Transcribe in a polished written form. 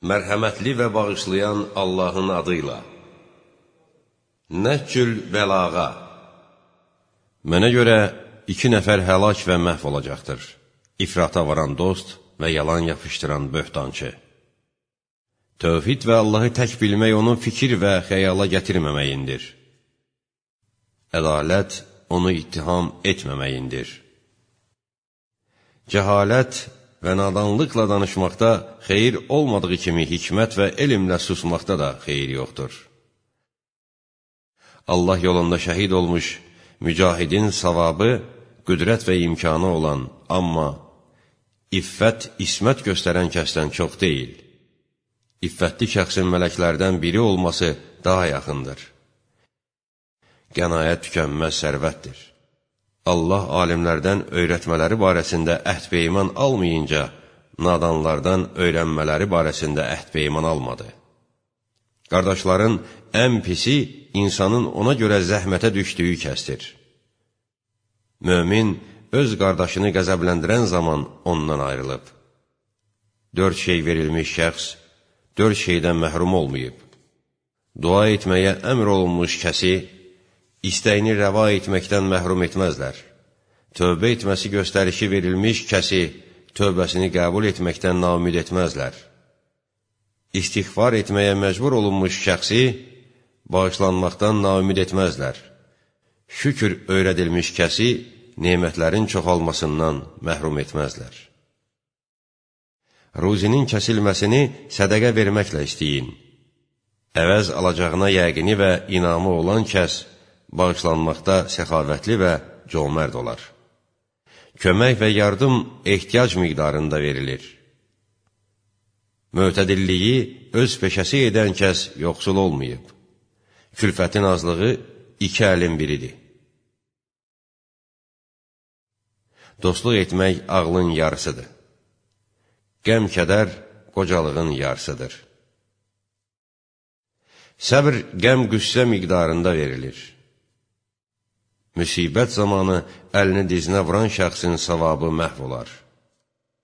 Mərhəmətli və bağışlayan Allahın adıyla. Nəhcül bəlağa. Mənə görə 2 nəfər həlak və məhv olacaqdır. İfrata varan dost və yalan yapışdıran böhtançı. Tövhid və Allahı tək bilmək onun fikir və xəyala gətirməməyindir. Ədalət onu ittiham etməməyindir. Cəhalət və nadanlıqla danışmaqda xeyir olmadığı kimi hikmət və elmlə susmaqda da xeyir yoxdur. Allah yolunda şəhid olmuş mücahidin savabı qüdrət və imkanı olan, amma iffət, ismət göstərən kəsdən çox deyil. İffətli şəxsin mələklərdən biri olması daha yaxındır. Qənaət tükənməz sərvətdir. Allah alimlərdən öyrətmələri barəsində əhd-peyman almayınca, nadanlardan öyrənmələri barəsində əhd-peyman almadı. Qardaşların ən pisi insanın ona görə zəhmətə düşdüyü kəsdir. Mömin öz qardaşını qəzəbləndirən zaman ondan ayrılıb. 4 şey verilmiş şəxs 4 şeydən məhrum olmayıb. Dua etməyə əmr olunmuş kəsi İstəyini rəva etməkdən məhrum etməzlər. Tövbə etməsi göstərişi verilmiş kəsi tövbəsini qəbul etməkdən naümid etməzlər. İstiğfar etməyə məcbur olunmuş şəxsi bağışlanmaqdan naümid etməzlər. Şükür öyrədilmiş kəsi nemətlərin çoxalmasından məhrum etməzlər. Ruzinin kəsilməsini sədəqə verməklə istəyin. Əvəz alacağına yəqini və inamı olan kəs bağışlanmaqda səxavətli və cömərd olar. Kömək və yardım ehtiyac miqdarında verilir. Mötədilliyi öz peşəsi edən kəs yoxsul olmayıb. Külfətin azlığı 2 əlin biridir. Dostluq etmək ağlın yarısıdır. Qəm-kədər qocalığın yarısıdır. Səbr qəm-qüssə miqdarında verilir. Müsibət zamanı əlini dizinə vuran şəxsin savabı məhv olar.